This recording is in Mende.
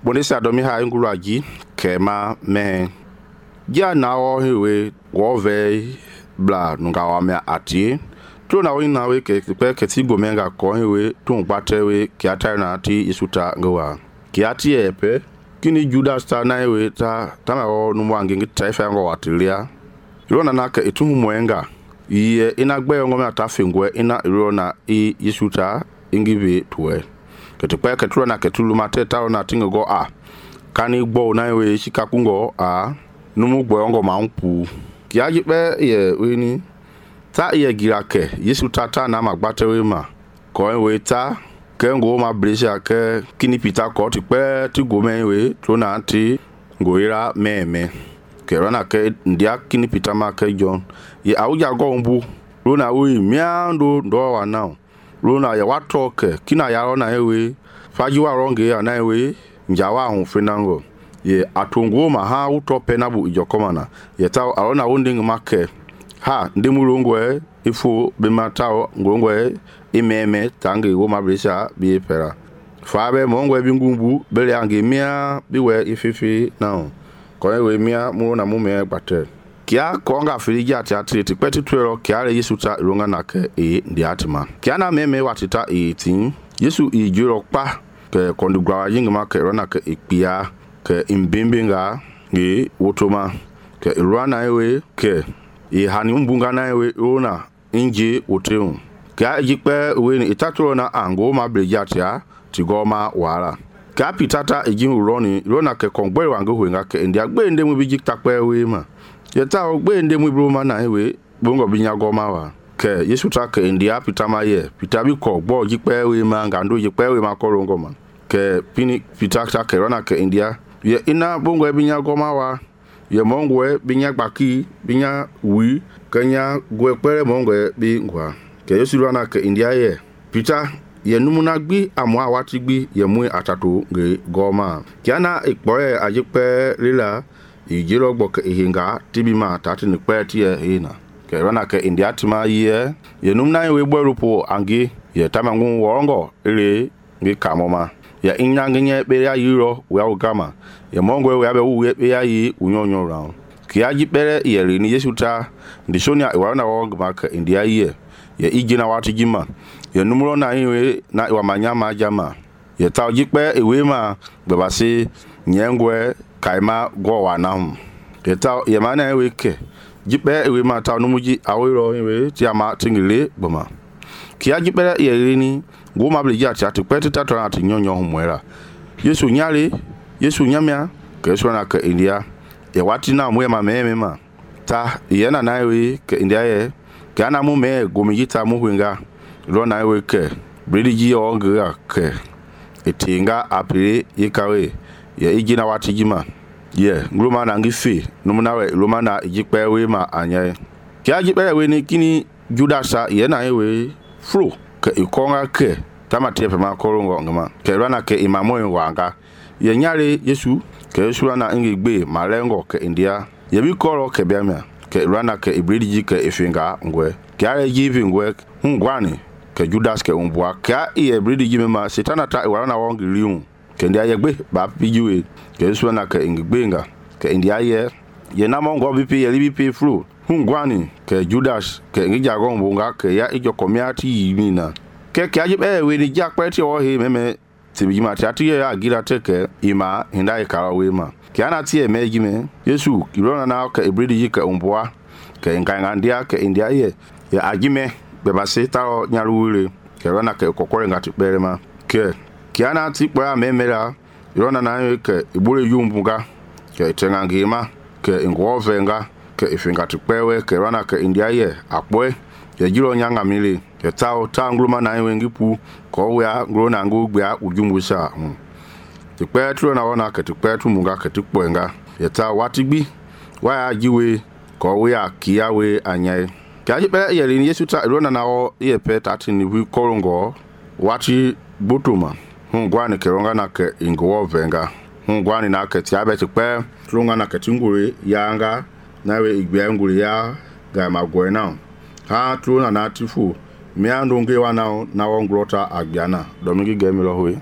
bonisa domi ha ngulu ji kema me ja na o hewe wo ve bla nunga wa me ati to na win na we ke pe ti go menga ko hewe to gbate we ki ata na ti isuta ngwa ki ati epe kini Judas ta na hewe ta ma o nu wangi ngi ta fa ngo watilia rona na ke etu mwenga ye ina gbe ngo me ata fengwe ina rona i isuta ingive tuwe ketukpe ketro na ketulu mateta na tingo go kani gbo na we shika kungo numu gbo ngo mampu kiaji pe ye weni ta ye girake yesu tata na magbate we ma ko we ta ke ngo ma bresha ke kini pita ko ti pe ti go me we to na ti ngoira meme ke rona ke ndia kini pita ma ke John ye awuja go mbu rona we miando ndo wa now rona ya watoke kina ya rona ewe fajiwa ronge ya na ewe njawa hu fenango ye atungu ma ha utope na bu ijokomana ye taw arona wonding make ha ndemulongwe ifo be matao ngongwe imeme tangi wo mabrisha bi pera fabe mongwe bingumbu bele ange mia biwe ififi now ko ewe mia mu na mu me gbate kia konga filija ati tipeti twero kiare Yesu ta ronga na ke ndiatima kia na meme watita 18 Yesu ijuro pa ke kondigwa yingma ke rona ke ipia ke imbimbinga ngi wotoma ke rona ewe ke hani mbunga na ewe ona inji woteun ka jikpe we ni itatoro na ango ma blejatia tigoma wala ka pitata ejin rona ke kongbe wango huenga ke ndia gbe ndemu bi jiktakpe we ma yeta ogbe ndemu broma na ewe bongo binya goma wa ke Yesu ta ke ndia pitama ye pitabi ko gbo jikpe we ma ngando jikpe we ma korongo ma ke pini pitata ke rona ke ndia ye ina bongo binya goma wa ye mongwe binya gbaki binya wi kenya gwepere mongwe bi ngwa ke Yesu rona ke ndia ye pita ye numuna gbi amwa wati gbi ye mu atato nge goma kiana ikpoye ajikpe lila ijiro gbo ke hinga tibima tati ni kweti ye hina ke rona ke ndia tima ye numuna we gborupo angi ye tamangu worongo ile ngi kamoma ya inyangenye be ya yiro we agama ye mongwe we abe we be ya yi unyonyo round ki aji pere ye ni Yesu ta ndisonia e wana wo maka ndia ye ijina wati jima ye numuro na iwe na wa manyama jama ye ta ojikpe ewe ma gbebasi nyengwe kaima go wa na hu ye ta ye mana ewe ke jipe ewe ma ta numuji awiro ewe ti ama tingile gboma ki aji pere ye ni go ma bleja ti atipeti tatona ati nyonyo hu mwera Yesu nyale Yesu nyamia ke Yesu na ke india ye wati na mwe ma meme ma ta ye na ewe ke india ye kana mu me gomijita mu hwenga rona ewe ke bridiji onga ke etinga apire yikawe ye ijina watijima ye ngluma na ngifi numuna we luma na ijikpe we ma anya kia jikpe we ni kini Judasa ye na ewe fro ke ikonga ke tamati pe ma korongo ngama ke rona ke imamo wanga ye nyare Yesu ke Yesu na ngigbe malengo ke india ye bi koro ke biamia ke rana ke ibridiji ke ifinga ngwe kiare jivi ngwe ngwani ke Judas ke umbwa ka iye ibridiji mema setana ta warana wongi liun ke ndia yegbe ba pijiwe ke Yesu na ke ngigbenga ke ndia ye na mongo bipi ye libi fru ngwani ke Judas ke ngija gongbonga ke ya ijo komiati yimina ke ajibe we ni jakpeti o he meme tibijima tati ya agira teke ima hindai karawe ma kiana tie mejime Yesu kirona na ke ibridiji ke umbwa ke ngangandia ke india ye ya ajime bebase taro nyaruwire ke rona ke kokore ngati berema ke kiana ti kwa memera rona na ke ibure yumbunga ke tengangima ke ngovenga ke ifinga tipewe ke rona ke india ye akwe ye jiro nyanga mili ke tao tangluma na wengipu ko ya grona ngugba ujumbusa tikpetu na wona ke tikpetu munga ke tikwenga ye ta watigbi wa jiwe ko we akiawe anyai kaji pe ye ni Yesu ta rona na o ye pe tati ni wi korongo wati butuma ngwani ke ronga na ke ingo venga ngwani na ke ti abe tikpe ronga na ke tingure yanga na we igbe ngure ya ga magwe na ha trona na tifu miando nge wana na wongrota agbiana domingi gemilo hoye